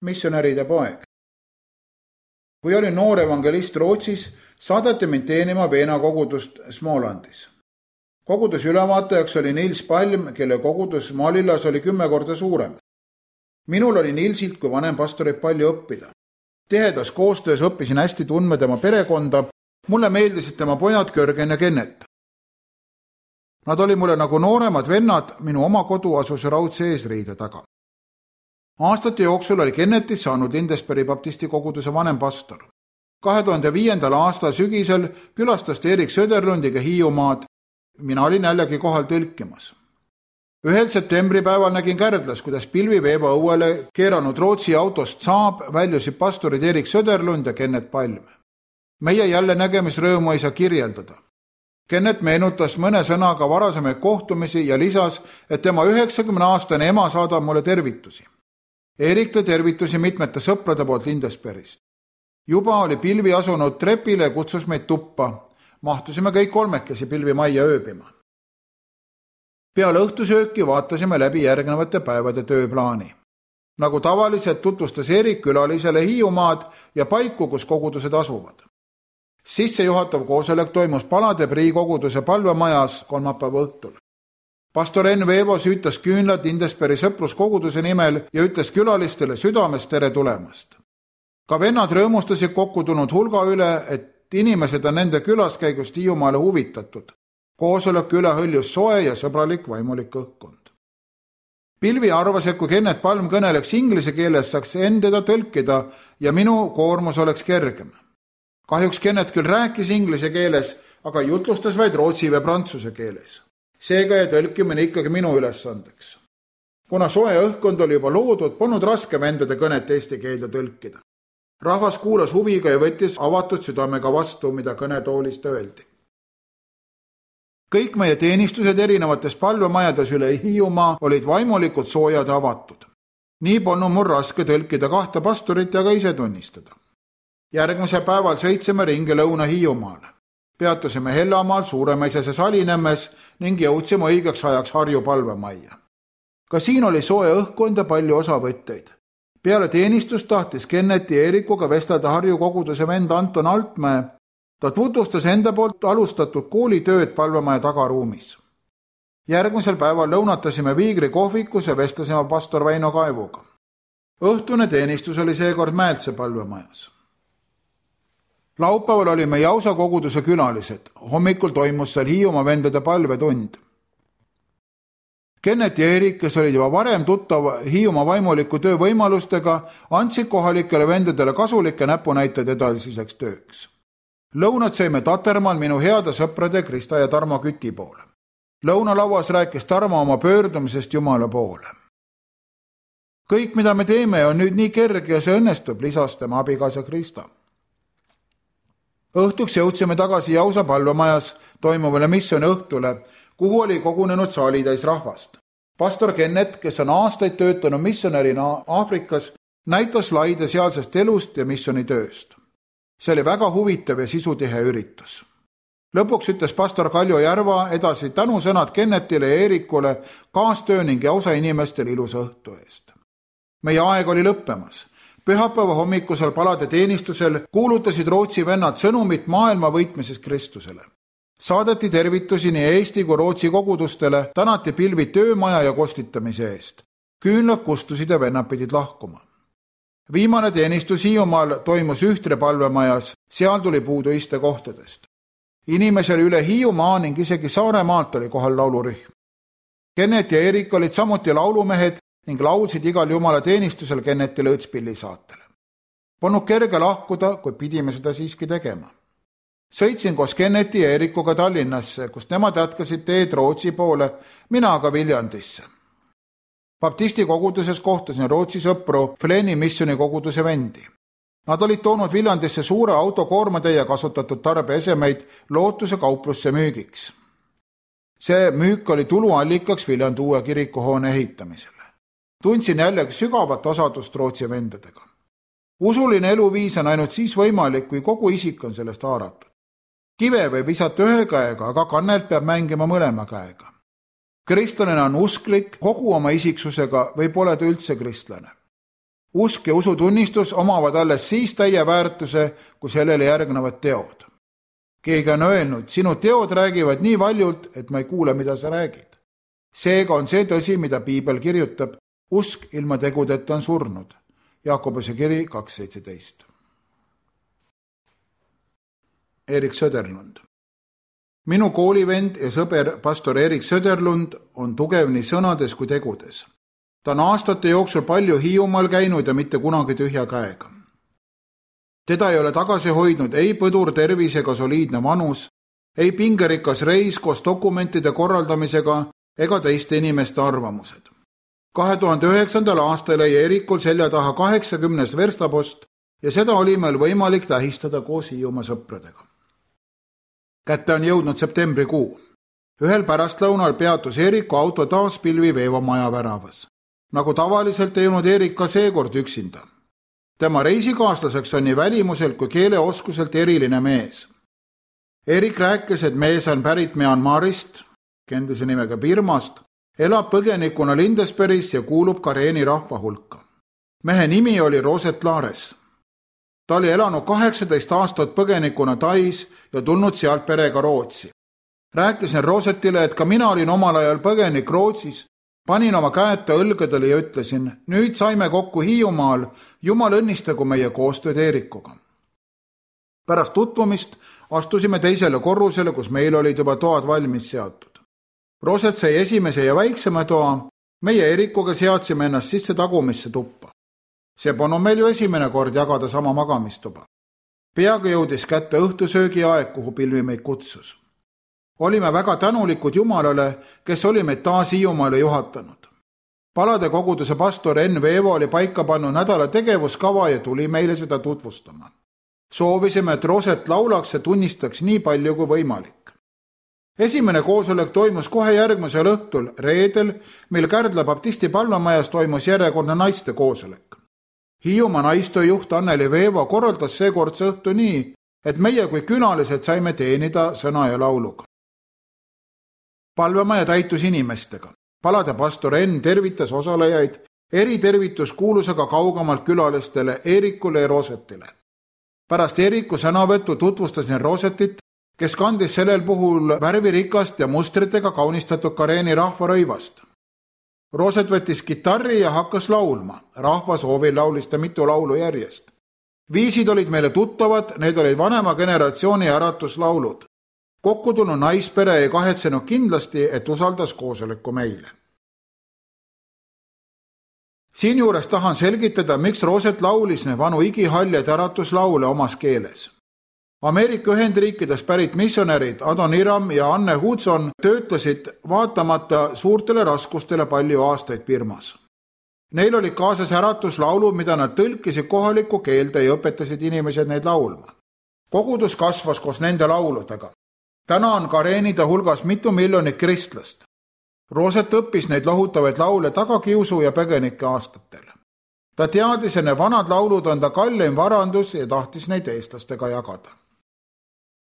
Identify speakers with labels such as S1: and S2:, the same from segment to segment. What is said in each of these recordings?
S1: missionäride poeg. Kui olin noor evangelist Rootsis, saadeti mind teenima Veena kogudust Smålandis. Koguduse ülevaatajaks oli Nils Palm, kelle kogudus Malillas oli 10 korda suurem. Minul oli Nilsilt kui vanem pastorit palju õppida. Tihedas koostöös õppisin hästi tundma tema perekonda, mulle meeldisid tema pojad Görgen ja Kennet. Nad oli mulle nagu nooremad vennad, minu oma kodu asus raudse eesriide taga. Aastate jooksul oli Kennetis saanud Lindesbergi baptisti koguduse vanem pastor. 2005. aasta sügisel külastas Erik Söderlundiga Hiiumaad. Mina olin jällegi kohal tõlkimas. 1. septembripäeval nägin Kärdlas, kuidas pilviveeba õuele keeranud Rootsi autost Saab väljusid pastorid Erik Söderlund ja Kennet Palm. Meie jälle nägemisrõõmu ei saa kirjeldada. Kennet meenutas mõne sõnaga varasemaid kohtumisi ja lisas, et tema 90-aastane ema saadab mulle tervitusi. Erik tõi tervitusi mitmete sõprade poolt Lindesbergist. Juba oli pilvi asunud trepile ja kutsus meid tuppa. Mahtusime kõik 3 pilvi majja ööbima. Peale õhtusööki vaatasime läbi järgnevate päevade tööplaani. Nagu tavaliselt tutvustas Erik külalisele Hiiumaad ja paiku, kus kogudused asuvad. Sissejuhatav koosolek toimus Palade Prii koguduse palvemajas kolmapäeva õhtul. Pastor Enn Veevo süütas küünlad Lindesbergi sõpruskoguduse nimel ja ütles külalistele südamest tere tulemast. Ka vennad rõõmustasid kokku tulnud hulga üle, et inimesed on nende külaskäigust Hiiumaale huvitatud. Koosoleku üle hõljus soe ja sõbralik vaimulik õhkkond. Pilvi arvas, et kui Kennet Palm kõneleks inglise keeles, saaks endada tõlkida ja minu koormus oleks kergem. Kahjuks Kennet küll rääkis inglise keeles, aga jutlustas vaid rootsi või prantsuse keeles. Seega ja tõlkimine ikkagi minu ülesandeks. Kuna soe õhkkond oli juba loodud, polnud raske vendade kõnet eesti keelde tõlkida. Rahvas kuulas huviga ja võttis avatud südamega vastu, mida kõnetoolist öeldi. Kõik meie teenistused erinevates palvemajades üle Hiiumaa olid vaimulikult soojad ja avatud. Nii polnud mul raske tõlkida 2 pastorit ja ka ise tunnistada. Järgmise päeval sõitsime ringi Lõuna-Hiiumaale. Peatusime Hellamaal, Suuremõisase Salinemmes ning jõudsime õigeks ajaks Harju palvemajja. Ka siin oli soe õhkkond ja palju osavõtteid. Peale teenistust tahtis Kenneti ja Eerikuga vestelda Harju koguduse vend Anton Altmäe. Ta tutvustas enda poolt alustatud koolitööd palvemaja tagaruumis. Järgmisel päeval lõunatasime Viigri kohvikus ja vestlesime pastor Väino Kaevuga. Õhtune teenistus oli seekord Mäeltse palvemajas. Laupäeval olime Jausa koguduse külalised. Hommikul toimus seal Hiiumaa vendade palvetund. Kennet ja Erik, kes olid juba varem tuttav Hiiumaa vaimuliku töö võimalustega, andsid kohalikele vendadele kasulikke näpunäiteid edasiseks tööks. Lõunat saime Tatermaal minu heade sõprade Krista ja Tarmo Küti poole. Lõunalauas rääkis Tarmo oma pöördumisest Jumala poole. Kõik, mida me teeme, on nüüd nii kerge ja see õnnestub, lisas tema abikaasa Krista. Õhtuks jõudsime tagasi Jausa palvemajas toimuvale missiooni õhtule, kuhu oli kogunenud saalitäis rahvast. Pastor Kennet, kes on aastaid töötanud missionärina Aafrikas, näitas slaide sealsest elust ja missionitööst. See oli väga huvitav ja sisutihe üritus. Lõpuks ütles pastor Kaljo Järva edasi tänusõnad Kennetile ja Eerikule kaastöö ning Jausa inimestele ilusa õhtu eest. Meie aeg oli lõppemas. Pühapäeva hommikusel palade teenistusel kuulutasid Rootsi vennad sõnumit maailma võitmises Kristusele. Saadeti tervitusi nii Eesti kui Rootsi kogudustele, tänati pilvi töömaja ja kostitamise eest. Küünlad kustusid ja vennad pidid lahkuma. Viimane teenistus Hiiumaal toimus Ühtre palvemajas, seal tuli puudu istekohtadest. Inimesel üle Hiiumaa ning isegi Saaremaalt oli kohal laulurühm. Kennet ja Erik olid samuti laulumehed ning laulsid igal Jumala teenistusel Kennetile õõtspilli saatele. Polnud kerge lahkuda, kui pidime seda siiski tegema. Sõitsin koos Kenneti ja Eerikuga Tallinnasse, kust nemad jätkasid teed Rootsi poole, mina aga Viljandisse. Baptisti koguduses kohtasin Rootsi sõpru Fleni missioni koguduse vendi. Nad olid toonud Viljandisse suure autokoormatäie kasutatud tarbeesemeid Lootuse kauplusse müügiks. See müük oli tuluallikaks Viljandi uue kirikuhoone ehitamisele. Tundsin jällegi sügavat osadust Rootsi vendadega. Usuline eluviis on ainult siis võimalik, kui kogu isik on sellest haaratud. Kive võib visata ühe käega, aga kannelt peab mängima mõlema käega. Kristlane on usklik kogu oma isiksusega või pole ta üldse kristlane. Usk ja usutunnistus omavad alles siis täie väärtuse, kui sellele järgnevad teod. Keegi on öelnud, sinu teod räägivad nii valjult, et ma ei kuule, mida sa räägid. Seega on see tõsi, mida Piibel kirjutab, usk ilma tegudeta on surnud. Jakobuse kiri 2.17. Erik Söderlund. Minu koolivend ja sõber pastor Erik Söderlund on tugev nii sõnades kui tegudes. Ta on aastate jooksul palju Hiiumaal käinud ja mitte kunagi tühja käega. Teda ei ole tagasi hoidnud ei põdur tervis ega soliidne vanus, ei pingerikas reis koos dokumentide korraldamisega ega teiste inimeste arvamused. 2009. aastal jäi Erikul selja taha 80 verstapost ja seda oli meil võimalik tähistada koos Hiiumaa sõpradega. Kätte on jõudnud septembrikuu. Ühel pärastlõunal peatus Eriku auto taas Pilvi veevamaja väravas. Nagu tavaliselt ei olnud Erik ka seekord üksinda. Tema reisikaaslaseks on nii välimuselt kui keeleoskuselt eriline mees. Erik rääkis, et mees on pärit Myanmarist, endise nimega Birmast, elab põgenikuna Lindesbergis ja kuulub Kareeni rahva hulka. Mehe nimi oli Roset Lares. Ta oli elanud 18 aastat põgenikuna Tais ja tulnud sealt perega Rootsi. Rääkisin Rosetile, et ka mina olin omal ajal põgenik Rootsis, panin oma käeta õlgadele ja ütlesin, nüüd saime kokku Hiiumaal, Jumal õnnistagu meie koostööd Erikuga. Pärast tutvumist astusime teisele korrusele, kus meil olid juba toad valmis seatud. Roset sai esimese ja väiksema toa, meie Erikuga seadsime ennast sisse tagumisse tuppa. See polnud meil ju esimene kord jagada sama magamistuba. Peaga jõudis kätte õhtusöögi aeg, kuhu Pilvi meid kutsus. Olime väga tänulikud Jumalale, kes oli meid taas Hiiumaale juhatanud. Palade koguduse pastor Enn Veevo oli paika pannud nädala tegevuskava ja tuli meile seda tutvustama. Soovisime, et Roset laulaks ja tunnistaks nii palju kui võimalik. Esimene koosolek toimus kohe järgmisel õhtul, reedel, mil Kärdla baptisti palvemajas toimus järjekordne naiste koosolek. Hiiumaa naistejuht Anneli Veevo korraldas seekordse õhtu nii, et meie kui külalised saime teenida sõna ja lauluga. Palvemaja täitus inimestega. Palade pastor Enn tervitas osalejaid eritervituskuulusega kaugemalt külalistele Erikule ja Rosetile. Pärast Eriku sõnavõttu tutvustasin Rosetit, kes kandis sellel puhul värvirikast ja mustritega kaunistatud Kareeni rahvarõivast. Roset võttis kitarri ja hakkas laulma. Rahva soovil laulis ta mitu laulu järjest. Viisid olid meile tuttavad, need olid vanema generatsiooni äratuslaulud. Kokku tulnud naispere ei kahetsenud kindlasti, et usaldas koosoleku meile. Siinjuures tahan selgitada, miks Roset laulis need vanu igihaljad äratuslaule omas keeles. Ameerika Ühendriikides pärit missionärid Adon Iram ja Anne Hudson töötasid vaatamata suurtele raskustele palju aastaid Birmas. Neil oli kaasas äratuslaulud, mida nad tõlkisid kohalikku keelde ja õpetasid inimesed neid laulma. Kogudus kasvas koos nende lauludega. Täna on Kareenide hulgas mitu miljonit kristlast. Roset õppis neid lohutavaid laule tagakiusu ja põgenike aastatel. Ta teadis, et need vanad laulud on ta kalleim varandus ja tahtis neid eestlastega jagada.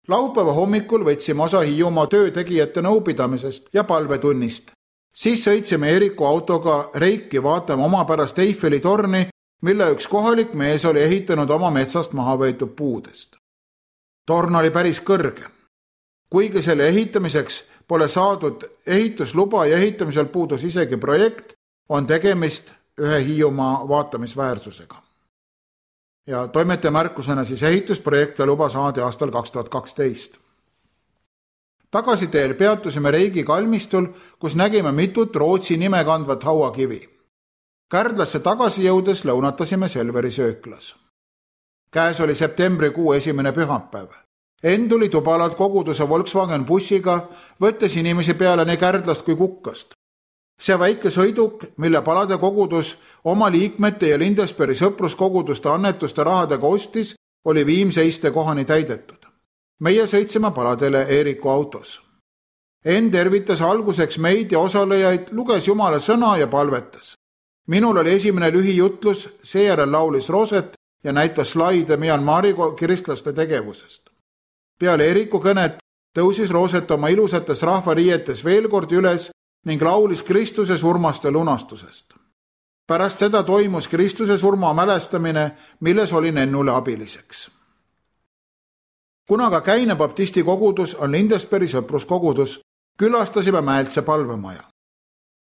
S1: Laupäeva hommikul võtsime osa Hiiumaa töötegijate nõupidamisest ja palvetunnist. Siis sõitsime Eriku autoga Reiki vaatama omapärast Eiffeli torni, mille üks kohalik mees oli ehitanud oma metsast maha võetud puudest. Torn oli päris kõrge. Kuigi selle ehitamiseks pole saadud ehitusluba ja ehitamisel puudus isegi projekt, on tegemist ühe Hiiumaa vaatamisväärsusega. Ja toimetaja märkusena siis ehitusprojekte luba saadi aastal 2012. Tagasiteel peatusime Reigi kalmistul, kus nägime mitut Rootsi nime kandvat hauakivi. Kärdlasse tagasi jõudes lõunatasime Selveri sööklas. Käes oli septembrikuu esimene pühapäev. Enn tuli Tubalalt koguduse Volkswagen bussiga, võttes inimesi peale nii Kärdlast kui Kukkast. See väike sõiduk, mille palade kogudus oma liikmete ja Lindesbergi sõpruskoguduste annetuste rahadega ostis, oli viimseiste kohani täidetud. Meie sõitsime paladele Eriku autos. Enn tervitas alguseks meid ja osalejaid, luges Jumala sõna ja palvetas. Minul oli esimene lühijutlus, seejärel laulis Roset ja näitas slaide Myanmari kristlaste tegevusest. Peale Eriku kõnet tõusis Roset oma ilusates rahvariietes veel kord üles ning laulis Kristuse surmast ja lunastusest. Pärast seda toimus Kristuse surma mälestamine, milles olin Ennule abiliseks. Kuna ka Käine baptisti kogudus on Lindesbergi sõpruskogudus, külastasime Mäeltse palvemaja.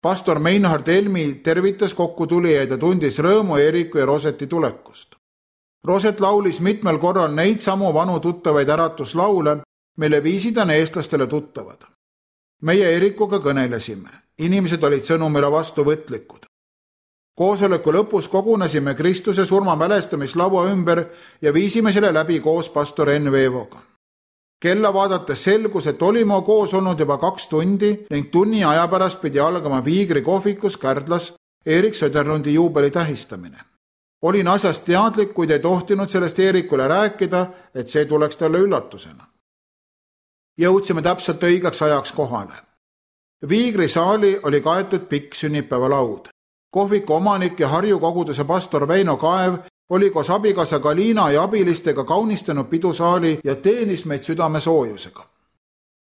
S1: Pastor Meinhard Helmi tervitas kokkutulijaid ja tundis rõõmu Eeriku ja Roseti tulekust. Roset laulis mitmel korral neid samu vanu tuttavaid äratuslaule, mille viisid on eestlastele tuttavad. Meie Eerikuga kõnelesime. Inimesed olid sõnumile vastuvõtlikud. Koosoleku lõpus kogunesime Kristuse surma mälestamislaua ümber ja viisime selle läbi koos pastor Enn Veevoga. Kella vaadates selgus, et olime koos olnud juba 2 tundi ning tunni aja pärast pidi algama Viigri kohvikus Kärdlas Erik Söderlundi juubeli tähistamine. Olin asjast teadlik, kuid ei tohtinud sellest Eerikule rääkida, et see tuleks talle üllatusena. Jõudsime täpselt õigeks ajaks kohale. Viigri saali oli kaetud pikk sünnipäevalaud. Kohviku omanik ja Harju koguduse pastor Väino Kaev oli koos abikaasa Galina ja abilistega kaunistanud pidusaali ja teenis meid südamesoojusega.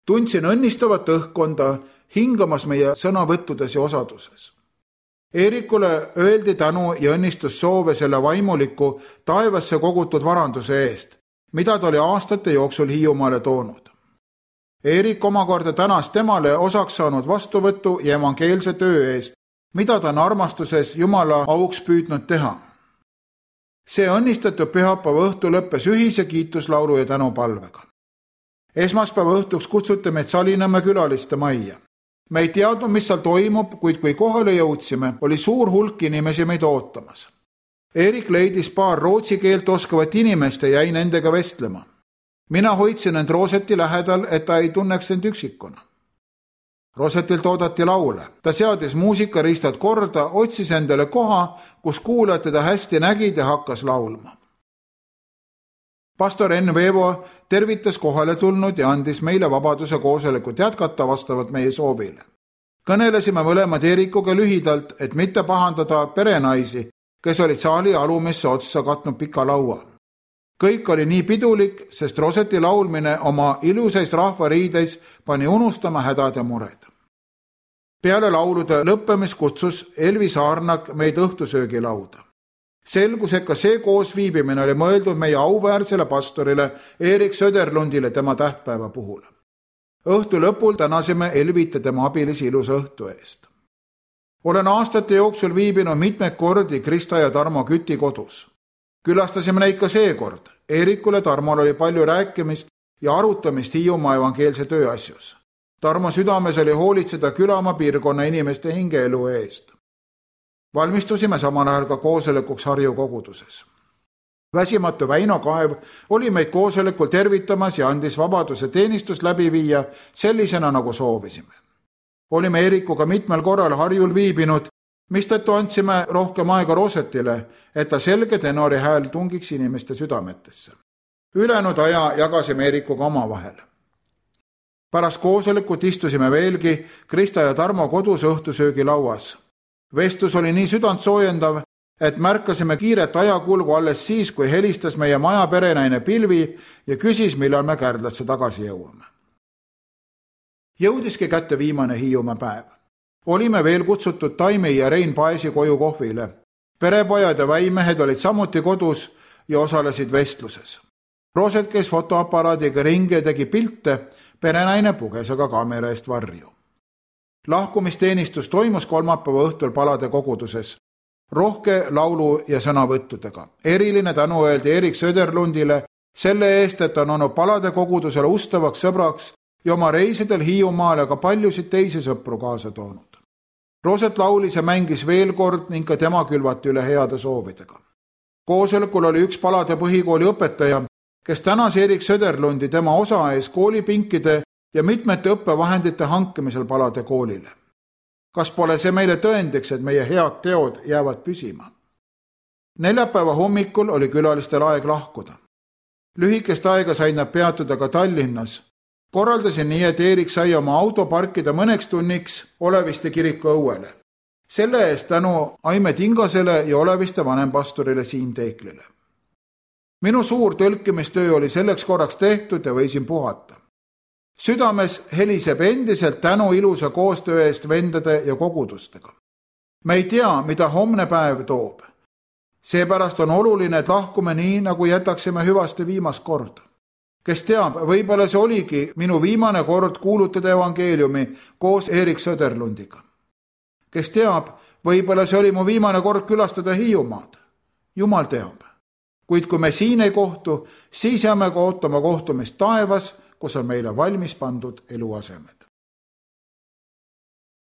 S1: Tundsin õnnistavat õhkkonda, hingamas meie sõnavõttudes ja osaduses. Eerikule öeldi tänu ja õnnistussoove selle vaimuliku taevasse kogutud varanduse eest, mida ta oli aastate jooksul Hiiumaale toonud. Eerik omakorda tänas temale osaks saanud vastuvõtu ja evangeelse töö eest, mida ta on armastuses Jumala auks püüdnud teha. See õnnistatud pühapäeva õhtu lõppes ühise kiituslaulu ja tänupalvega. Esmaspäeva õhtuks kutsuti meid Salinämme külaliste majja. Me ei teadnud, mis seal toimub, kuid kui kohale jõudsime, oli suur hulk inimesi meid ootamas. Eerik leidis paar rootsi keelt oskavat inimest ja jäi nendega vestlema. Mina hoidsin end Roseti lähedal, et ta ei tunneks end üksikuna. Rosetilt oodati laule. Ta seadis muusikariistad korda, otsis endale koha, kus kuulajad teda hästi nägid ja hakkas laulma. Pastor Enn Veevo tervitas kohale tulnud ja andis meile vabaduse koosolekut jätkata vastavalt meie soovile. Kõnelesime mõlemad Eerikuga lühidalt, et mitte pahandada perenaisi, kes olid saali alumisse otsa katnud pika laua. Kõik oli nii pidulik, sest Roseti laulmine oma ilusais rahvariideis pani unustama hädad ja mured. Peale laulude lõppemist kutsus Elvi Saarnak meid õhtusöögilauda. Selgus, et ka see koosviibimine oli mõeldud meie auväärsele pastorile Erik Söderlundile tema tähtpäeva puhul. Õhtu lõpul tänasime Elvit ja tema abilisi ilusa õhtu eest. Olen aastate jooksul viibinud mitmeid kordi Krista ja Tarmo Küti kodus. Külastasime neid ka seekord. Eerikule Tarmol oli palju rääkimist ja arutamist Hiiumaa evangeelse töö asjus. Tarmo südames oli hoolitseda Külamaa piirkonna inimeste hingeelu eest. Valmistusime samal ajal ka koosolekuks Harju koguduses. Väsimatu Väino Kaev oli meid koosolekul tervitamas ja andis vabaduse teenistust läbi viia sellisena, nagu soovisime. Olime Eerikuga mitmel korral Harjul viibinud, mistõttu andsime rohkem aega Rosetile, et ta selge tenori hääl tungiks inimeste südametesse. Ülejäänud aja jagasime Eerikuga omavahel. Pärast koosolekut istusime veelgi Krista ja Tarmo kodus õhtusöögilauas. Vestlus oli nii südant soojendav, et märkasime kiiret ajakulgu alles siis, kui helistas meie maja perenaine Pilvi ja küsis, millal me Kärdlasse tagasi jõuame. Jõudiski kätte viimane Hiiumaa päev. Olime veel kutsutud Taimi ja Rein Paesi koju kohvile. Perepojad ja väimehed olid samuti kodus ja osalesid vestluses. Roset käis fotoaparaadiga ringi ja tegi pilte, perenaine puges aga kaamera eest varju. Lahkumisteenistus toimus kolmapäeva õhtul Palade koguduses. Rohke laulu ja sõnavõttudega. Eriline tänu öeldi Erik Söderlundile selle eest, et on olnud Palade kogudusele ustavaks sõbraks ja oma reisidel Hiiumaale ka paljusid teisi sõpru kaasa toonud. Roset laulis ja mängis veel kord ning ka tema külvati üle heade soovidega. Koosolekul oli üks Palade põhikooli õpetaja, kes tänas Erik Söderlundi tema osa ees koolipinkide ja mitmete õppevahendite hankimisel Palade koolile. Kas pole see meile tõendiks, et meie head teod jäävad püsima? Neljapäeva hommikul oli külalistel aeg lahkuda. Lühikest aega said nad peatuda ka Tallinnas. Korraldasin nii, et Erik sai oma auto parkida mõneks tunniks Oleviste kiriku õuele. Selle eest tänu Aime Tingasele ja Oleviste vanempastorile Siim Teeklile. Minu suur tõlkimistöö oli selleks korraks tehtud ja võisin puhata. Südames heliseb endiselt tänu ilusa koostöö eest vendade ja kogudustega. me ei tea, mida homne päev toob. Seepärast on oluline, et lahkume nii, nagu jätaksime hüvaste viimast korda. Kes teab, võib-olla see oligi minu viimane kord kuulutada evangeeliumi koos Erik Söderlundiga. Kes teab, võib-olla see oli mu viimane kord külastada Hiiumaad. Jumal teab. Kuid kui me siin ei kohtu, siis jääme ka ootama kohtumist taevas, kus on meile valmis pandud eluasemed.